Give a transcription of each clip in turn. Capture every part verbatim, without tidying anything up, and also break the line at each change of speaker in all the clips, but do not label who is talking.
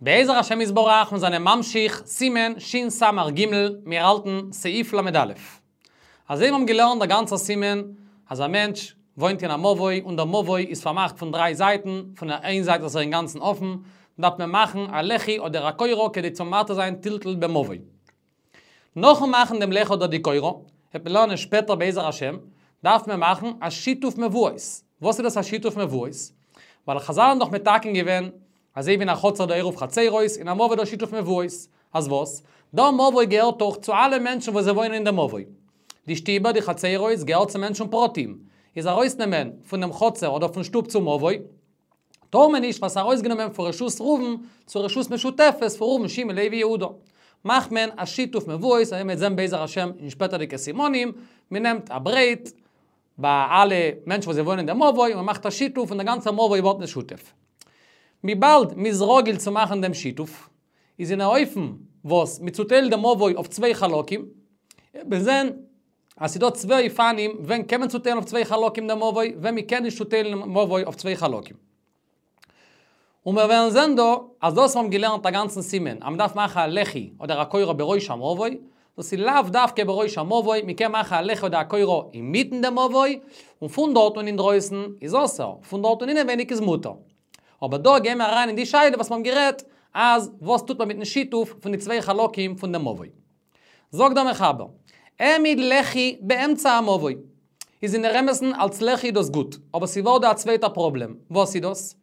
בעזר השם יתברך, מיר זענען ממשיך, סימן שס"ג, מיר האלטן סעיף ל"א. אזוי מיר האבן געלערנט דער גאנצער סימן, אז א מענטש וואוינט אין א מבוי און דער מבוי איז פארמאכט פון דריי זייטן, פון איין זייט איז ער אינגאנצן אפן, דארף מען מאכן א לחי אדער א קורה כדי צו מתיר זיין טלטול במבוי. נאכן מאכן דעם לחי אדער די קורה, וועט מען לערנען שפעטער בעזר השם, דארף מען מאכן א שיתוף מבואות. וואס איז דאס א שיתוף מבואות? ווייל חזל האבן דאך מתקן געווען, אזוי ווי אין א חצר דא עירוב חצרות, אין א מבוי דא שיתוף מבואות. אז וואס? דער מבוי געהערט דאך צו אלע מענטשן וואס זיי וואוינען אין דעם מבוי. די שטיבער, די חצרות, געהערט צו מענטשן פרטיים. איז ארויסנעמען פון דעם חצר אדער פון שטוב צום מבוי, טאר מען נישט, ווייל ס'איז ארויסגענומען פון רשות ראובן צו רשות משותפת פון ראובן, שמעון, לוי, יהודה. מאכט מען א שיתוף מבואות, אזוי מ'וועט זען בעזר השם אין שפעטערדיגע סימנים, מען נעמט א ברעט ביי אלע מענטשן וואס זיי וואוינען אין דעם מבוי, און מען מאכט א שיתוף און דער גאנצער מבוי ווערט משותף. וויבאלד מ'איז רגיל צו מאכן דעם שיתוף, איז אין א אופן וואס מ'צוטיילט דעם מבוי אויף צוויי חלקים, מיר זען אז ס'דא צוויי אופנים ווען קען מען צוטיילן אויף צוויי חלקים דעם מבוי, ווען מ'קען נישט צוטיילן דעם מבוי אויף צוויי חלקים. און מיר וועלן זען דא אז דאס וואס מיר האבן געלערנט א גאנצן סימן אז מ'דארף מאכן א לחי אדער א קורה בראש המבוי, דאס איז לאו דווקא בראש המבוי, מ'קען מאכן א לחי אדער א קורה אינמיטן דעם מבוי, און פון דארט און אינדרויסן איז אסור, פון דארט און אינעווייניג איז מותר. אבער דא גייען מיר אריין אין די שאלה וואס מיר האבן גערעדט, אז וואס טוט מען מיטן שיתוף פון די צוויי חלקים פון דעם מבוי. זאגט דער מחבר, העמיד לחי באמצע המבוי. איז אין דער אמת'ן אלס לחי איז דאס גוט, אבער ס'ווערט דא א צווייטער פראבלעם, וואס איז דאס?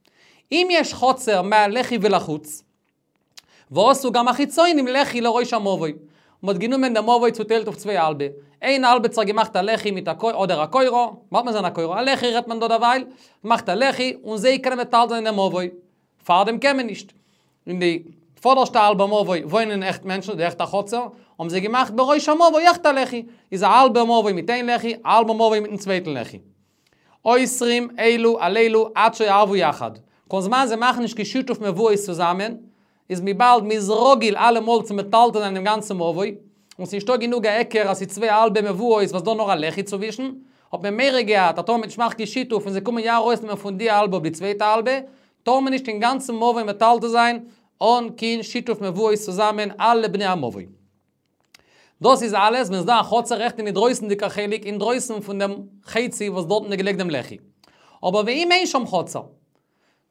אם יש חצר מהלחי ולחוץ, ועשו גם החיצונים לחי לראש המבוי. מ'האט גענומען דעם מבוי צוטיילט אויף צוויי האלבע. איין האלב האט זיך געמאכט א לחי מיט א קורה אדער א קורה, ווארט מיר זען א קורה, א לחי רעדט מען דא דערווייל, מאכט א לחי און זיי קענען מטלטל זיין דעם מבוי. פארדעם קען מען נישט. אין די פאדערשטע האלבע מבוי וואוינען עכט מענטשן, די עכטע חצר, האבן זיי געמאכט בראש המבוי עכט א לחי. איז א האלבע מבוי מיט איין לחי, א האלבע מבוי מיטן צווייטן לחי. אוסרים אלו על אלו עד שיערבו יחד. כל זמן זיי מאכן נישט קיין שיתוף מבואות צוזאמען, איז וויבאלד מ'איז רגיל אלעמאל צו מטלטל זיין דעם גאנצן מבוי, און ס'נישטא גענוג א היכר אז ס'איז צוויי האלבע מבואות וואס דא נאר א לחי צווישן, האט מען מורא געהאט אז טאמער מ'וועט נישט מאכן קיין שיתוף און זיי קומען יא ארויסנעמען פון די האלבע אויף די צווייטע האלבע, טאר מען נישט אין גאנצן מבוי מטלטל זיין אן קיין שיתוף מבואות צוזאמען אלע בני המבוי. דאס איז אלעס ווען ס'דא א חצר עכט אין די דרויסנדיגע חלק אינדרויסן פון דעם חצי וואס דארטן איז געלייגט דעם לחי. אבער ואם אין שם חצר,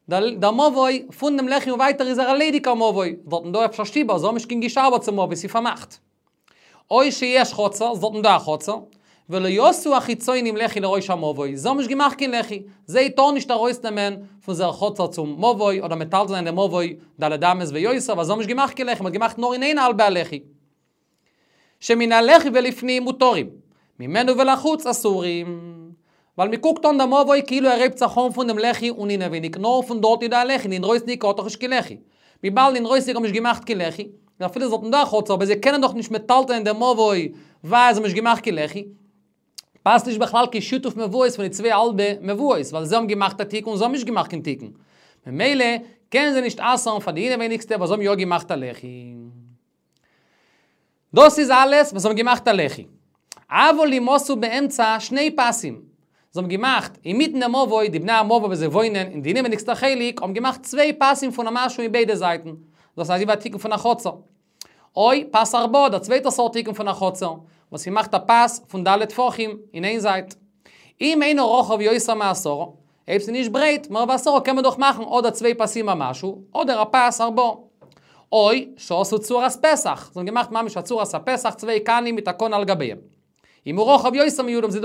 דער מבוי פון דעם לחי און ווייטער איז ער א ליידיגער מבוי, דארטן דא אפשר שטיבער, זיי האבן נישט קיין גישה אבער צום מבוי, ס'איז פארמאכט. או שיש חצר, ס'איז דארטן דא א חצר, ולא עשו החיצונים לחי לראש המבוי, זיי האבן נישט געמאכט קיין לחי, זיי טארן נישט ארויסנעמען פון זייער חצר צום מבוי אדער מטלטל זיין דעם מבוי ד' אמות ויותר, ווייל זיי האבן נישט געמאכט קיין לחי, מ'האט געמאכט נאר אין איין האלבע א לחי. שמן הלחי ולפנים מותרים, ממנו ולחוץ אסורים. ווייל מ'קוקט אן דעם מבוי כאילו ער הייבט זיך אן פון דעם לחי און אינעווייניג, נאר פון דארט איז דא א לחי, אינדרויסנדיג האט דאך נישט קיין לחי. וויבאלד אינדרויסנדיג האבן נישט געמאכט קיין לחי, און אפילו ס'איז דארטן דא א חצר, אבער זיי קענען דאך נישט מטלטלען דעם מבוי ווייל זיי האבן נישט געמאכט קיין לחי, פאסט נישט בכלל קיין שיתוף מבואות פון די צוויי האלבע מבואות, ווייל זיי האבן געמאכט א תיקון און זיי האבן נישט געמאכט קיין תיקון. ממילא קענען זיי נישט אסר'ן פאר די אינעווייניגסטע וואס האבן יא געמאכט א לחי. דאס איז אלעס וואס זיי האבן געמאכט א לחי. אבל אם עשו באמצע שני פסים. זיי האבן געמאכט אינמיטן דעם מבוי, די בני המבוי וואס זיי וואוינען אין די אינעווייניגסטע חלק האבן געמאכט צוויי פסים פון א משהו אין ביידע זייטן. דאס איז אזוי ווי א תיקון פון א חצר. או פס ארבעה, דער צווייטער סארט תיקון פון א חצר, וואס מ'מאכט א פס פון ד' טפחים אין איין זייט. אם אינו רחב יותר מעשרה, אויב ס'איז נישט ברייט, מער ווי עשרה קען מען דאך מאכן אדער צוויי פסים א משהו, אדער א פס ארבעה. או שעשו צורת פתח, זיי האבן געמאכט ממש א צורת הפתח, צוויי קנים מיט א קנה על גביהם. אם הוא רחב יותר מי' האבן זיי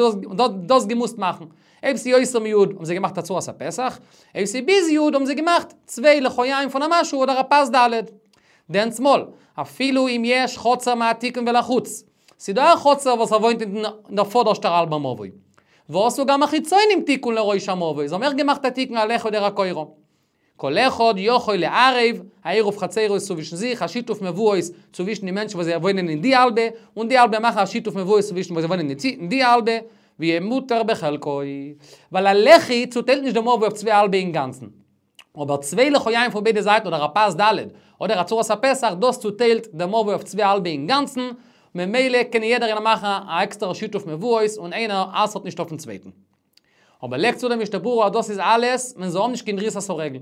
דאס געמוזט מאכן. אויב ס'איז יותר מי' האבן זיי געמאכט א צורת הפתח, אויב ס'איז ביז י' האבן זיי געמאכט צוויי לחיים פון א משהו אדער א פס ד'. דענסמאל, אפילו אם יש חצר מהתיקון ולחוץ, ס'דא א חצר וואס ער וואוינט אין דער פאדערשטער האלבער מבוי. ועשו גם החיצונים תיקון לראש המבוי, זיי האבן אויך געמאכט א תיקון א לחי אדער א קורה. כל אחד יכול לערב, א עירוב חצרות צווישן זיך, א שיתוף מבואות צווישן די מענטשן וואס זיי וואוינען אין די האלבע, און די האלבע מאכן א שיתוף מבואות צווישן וואס זיי וואוינען אין די האלבע, ויהיה מותר בחלקו. ווייל א לחי צוטיילט נישט די מבוי אויף צוויי האלבע אינגאנצן. אבער צוויי לחיים פון ביידע זייטן אדער א פס ד' אדער א צורת הפתח דאס צוטיילט די מבוי אויף צוויי האלבע אינגאנצן, ממילא קען יעדער איינער מאכן א עקסטערע שיתוף מבואות און איינער אסר'ט נישט אויפן צווייטן. אבער לייגט צו דער משנה ברורה אז דאס איז אלעס ווען זיי האבן נישט קיין דריסת הרגל.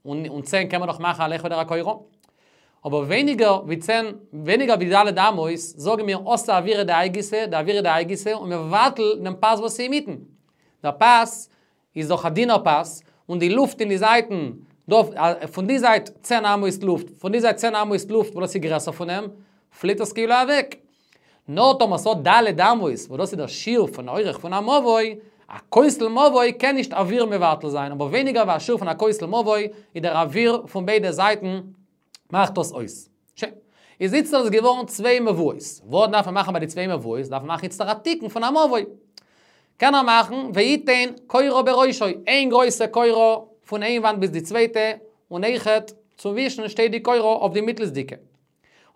און, און צען קען מען נאך מאכן א לחי אדער א קורה. אבער ווייניגער ווי צען, ווייניגער ווי ד' אמות, זאגן מיר אתי אוירא דהאי גיסא, דאוירא דהאי גיסא, און מבטל דעם פס וואס אינמיטן. דער פס איז דאך א דינער פס, און די לופט אין די זייטן, פון די זייט צען אמות לופט, פון די זייט צען אמות לופט, וואס דאס איז גרעסער פון אים, פליט עס כאילו אוועק. נאר טאמער ס'האט ד' אמות, וואס דאס איז דער שיעור פון אורך פון א מבוי, א כותל מבוי קען נישט אוויר מבטל זיין, אבער ווייניגער ווי א שיעור פון א כותל מבוי, איז דער אוויר פון ביידע זייטן מאכט דאס אויס. שוין. איז איצטער איז געווארן צוויי מבואות. וואס דארף מען מאכן ביי די צוויי מבואות? דארף מען מאכן איצטער א תיקון פון א מבוי. קען ער מאכן, ויתן קורה בראשו, איין גרויסע קורה פון איין וואנט ביז די צווייטע, און אויכעט צווישן שטייט די קורה אויף די מיטלסדיקע.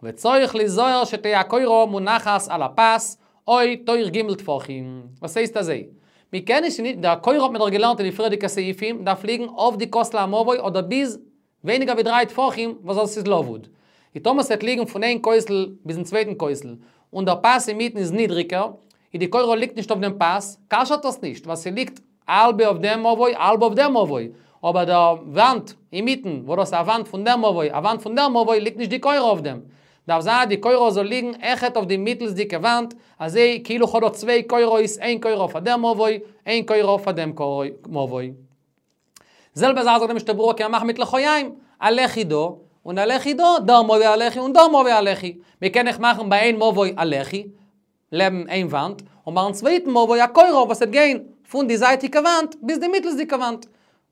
וצריך ליזהר שתהא הקורה מונחת על הפס, או תוך ג' טפחים. וואס הייסט אזוי? מיר קענען נישט, דער קורה האט מען דאך געלערנט אין די פריערדיגע סעיפים, דארף ליגן אויף די כותל המבוי אדער ביז ווייניגער ווי דריי טפחים, וואס דאס איז לבוד. איז טאמער ס'וועט ליגן פון איין כותל ביזן צווייטן כותל, און דער פס אינמיטן איז נידריגער, איז די קורה ליגט נישט אויף דעם פס, כשר'ט דאס נישט, ווייל ס'ליגט האלב אויף דעם מבוי, האלב אויף דעם מבוי. אבער דער וואנט אינמיטן, וואו דאס איז א וואנט פון דעם מבוי, א וואנט פון דעם מבוי, ליגט נישט די קורה אויף דעם. דארף זיין די קורה זאל ליגן עכט אויף די מיטלסדיקע וואנט, אזוי כאילו כ'האב דא צוויי קורות, איין קורה אויף דעם מבוי, איין קורה אויף דעם מבוי. זעלבע זאך זאגט דער משנה ברורה קען מען מאכן מיט לחיים, א לחי דא, און א לחי דא, דער מבוי א לחי און דער מבוי א לחי. מיר קען אויך מאכן ביי איין מבוי א לחי, לעבן איין וואנט, און ביים צווייטן מבוי א קורה וואס וועט גיין פון די זייטיגע וואנט ביז די מיטלסדיקע וואנט.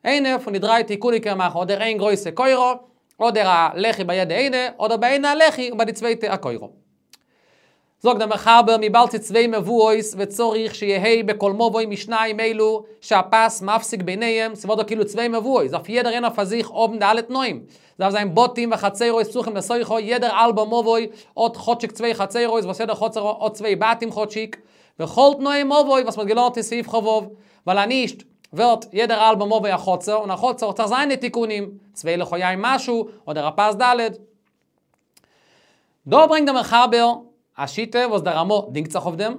איינע פון די דריי תיקונים קען מען מאכן אדער איין גרויסע קורה, אדער א לחי ביי יעדע איינע, אדער ביי איינע א לחי און ביי די צווייטע א קורה. זאגט דער מחבר וויבאלד ס'איז צוויי מבואות וצריך שיהא בכל מבוי משניים אלו שהפס מפסיק ביניהם, ס'ווערט דא כאילו צוויי מבואות, דארף יעדער איינער פאר זיך האבן די אלע תנאים. דארף זיין בתים וחצרות פתוחים לתוכו, יעדער האלבער מבוי האט כאטשיג צוויי חצרות, וואס יעדער חצר האט צוויי בתים כאטשיג, וכל תנאי מבוי וואס מ'האט געלערנט אין סעיף כ"ו, ווייל אנישט ווערט יעדער האלבער מבוי א חצר, און א חצר האט זיך זיינע תיקונים, צוויי לחיים משהו, אדער א פס ד'. דא ברענגט דער מחבר א שיטה וואס דער רמ"א דינגט זיך אויף דעם,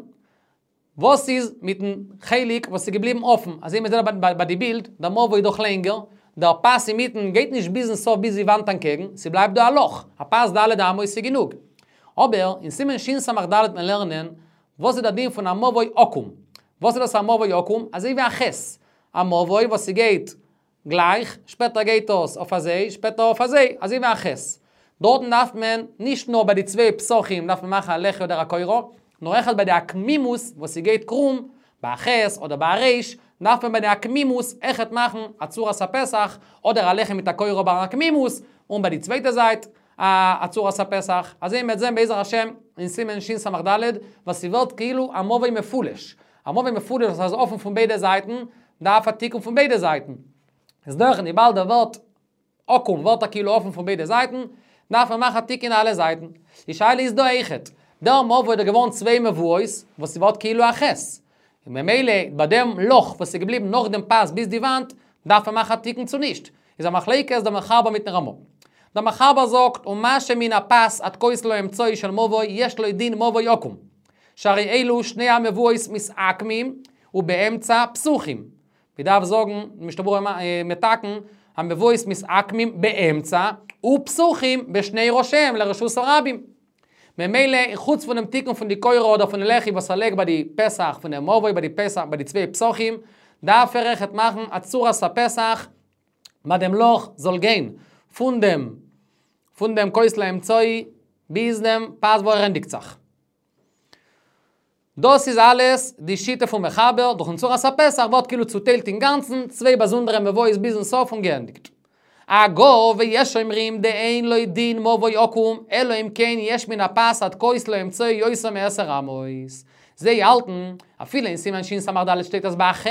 וואס איז מיטן חלק וואס איז געבליבן אפן, אזוי מ'זעט ביי די בילד, דער מבוי איז דאך לענגער, דער פס אינמיטן גייט נישט ביזן סוף ביז די וואנט אנטקעגן, ס'בלייבט דא א לאך, א פס ד' אמות איז גענוג. אבער אין סימן שס"ד וועט מען לערנען וואס איז דער דין פון א מבוי עקום. וואס איז דאס א מבוי עקום? אזוי ווי א ח', א מבוי וואס ס'גייט גלייך, שפעטער גייט עס אויף אזוי, שפעטער אויף אזוי, אזוי ווי א ח'. דארטן דארף מען, נישט נאר ביי די צוויי פתחים דארף מען מאכן א לחי אדער א קורה, נאר אויכעט ביי די עקמימות וואס ס'גייט קרום, ביי א ח' אדער ביי א ריש, דארף מען ביי די עקמימות אויכעט מאכן א צורת הפתח, אדער א לחי מיט א קורה ביי עקמימות, און ביי די צווייטע זייט א צורת הפתח. אזוי מ'וועט זען בעזר השם אין סימן שס"ד, וואס ס'ווערט כאילו א מבוי מפולש. א מבוי מפולש וואס איז אפן פון ביידע זייטן, דארף א תיקון פון ביידע זייטן. איז דורך וויבאלד ער ווערט עקום ווערט ער כאילו אפן פון ביידע זייטן, דארף מען מאכן א תיקון אלע זייטן. די שאלה איז דא אויכעט. דער מבוי איז געווארן צוויי מבואות, וואס ס'ווערט כאילו א ח'. און ממילא ביי דעם לאך וואס איז געבליבן נאך דעם פס ביז די וואנט, דארף מען מאכן א תיקון צו נישט. איז א מחלוקת דער מחבר מיטן רמ"א. דער מחבר זאגט, ומה שמן הפס עד כותל האמצעי של מבוי, יש לו דין מבוי עקום. שהרי אלו שני המבואות מתעקמים, ובאמצע פתוחים. מ'דארף זאגן, משנה ברורה מתקן, המבואות מתעקמים באמצע, ופתוחים בשני ראשיהם לרשות הרבים. ממילא, חוץ פון דעם תיקון פון די קורה אדער פון די לחי וואס ער לייגט ביי די פתח פון דעם מבוי, ביי די פתח, ביי די צוויי פתחים, דארף ער אויכעט מאכן א צורת הפתח, ביי דעם לאך זאל גיין פון דעם, פון דעם כותל האמצעי ביז דעם פס וואו ער ענדיגט זיך. דאס איז אלעס די שיטה פון מחבר, דורכן צורת הפתח ווערט כאילו צוטיילט אינגאנצן, צוויי באזונדערע מבואות ביזן סוף און געענדיגט. הגה ויש אומרים דאין לו דין מבוי עקום, אלא אם כן יש מן הפס עד כותל האמצעי יותר מעשר אמות. זיי האלטן, אפילו אין סימן שס"ד שטייט אז ביי א ח'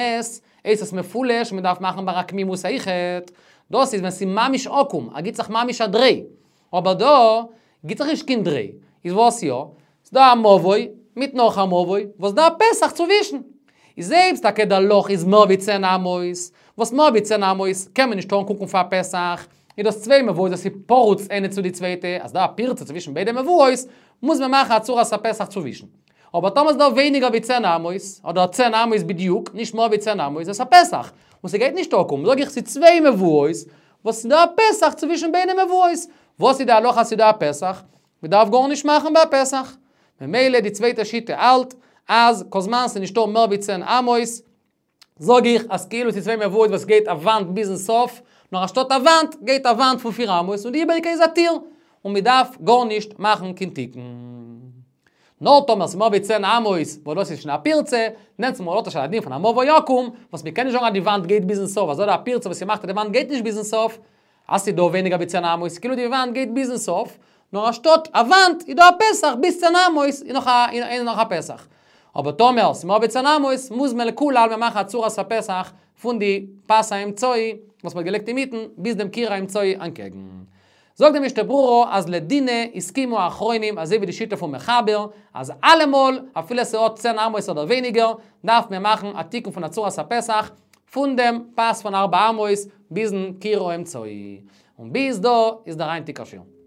איז עס מפולש, מען דארף מאכן ביי עקמימות אויכעט. דאס איז ווען ס'איז ממש עקום, ער גיט זיך ממש א דריי. אבער דא גיט זיך נישט קיין דריי. איז וואס יא? ס'דא א מבוי מיט נאך א מבוי, וואס דא א פתח צווישן. איז אויב טאקע דער לאך איז מער ווי צען אמות, וואס מער ווי צען אמות קען מען נישט אנקוקן פאר א פתח, איז דאס צוויי מבואות וואס איז פרוץ איינע צו די צווייטע, אז דא א פירצה צווישן ביידע מבואות, מוז מען מאכן א צורת הפתח צווישן. אבער טאמער איז דא ווייניגער ווי צען אמות, אדער צען אמות בדיוק, נישט מער ווי צען אמות, איז עס א פתח. און ס'גייט נישט עקום, זאג איך ס'איז צוויי מבואות, וואס איז דא א פתח צווישן ביידע מבואות. וואס איז די הלכה אז ס'איז דא א פתח? מ'דארף גארנישט מאכן ביי א פתח. ממילא די צווייטע שיטה האלט, אז כל זמן ס'איז נישטא מער ווי צען אמות, זאג איך אז כאילו ס'איז צוויי מבואות וואס גייט א וואנט ביזן סוף, נאר אנשטאט א וואנט גייט א וואנט פון פיר אמות און די איבעריגע איז א טיר, און מ'דארף גארנישט מאכן קיין תיקון. נאר טאמער ס'איז מער ווי צען אמות, וואס דאס איז שוין א פירצה, דענסטמאל האט ער שוין א דין פון א מבוי עקום, וואס מ'קען נישט זאגן אז די וואנט גייט ביזן סוף, אזוי די פירצה וואס ס'מאכט אז די וואנט גייט נישט ביזן סוף, אז ס'איז דא ווייניגער ווי צען אמות, כאילו די וואנט גייט ביזן סוף, נאר אנשטאט א וואנט איז דא א פתח ביז צען אמות איז נאך א איז נאך א פתח. אבער טאמער ס'איז מער ווי צען אמות, מוז מען לכולי עלמא מאכן א צורת הפתח פון די פס האמצעי וואס מ'האט געלייגט אינמיטן ביז דעם קיר האמצעי אנטקעגן. זאגט די משנה ברורה אז לדינא הסכימו האחרונים אזוי ווי די שיטה פון מחבר אז אלעמאל אפילו ס'האט צען אמות אדער ווייניגער דארף מען מאכן א תיקון פון א צורת הפתח פון דעם פס פון ארבע אמות ביזן קיר האמצעי. און ביז דא איז דער היינטיגער שיעור.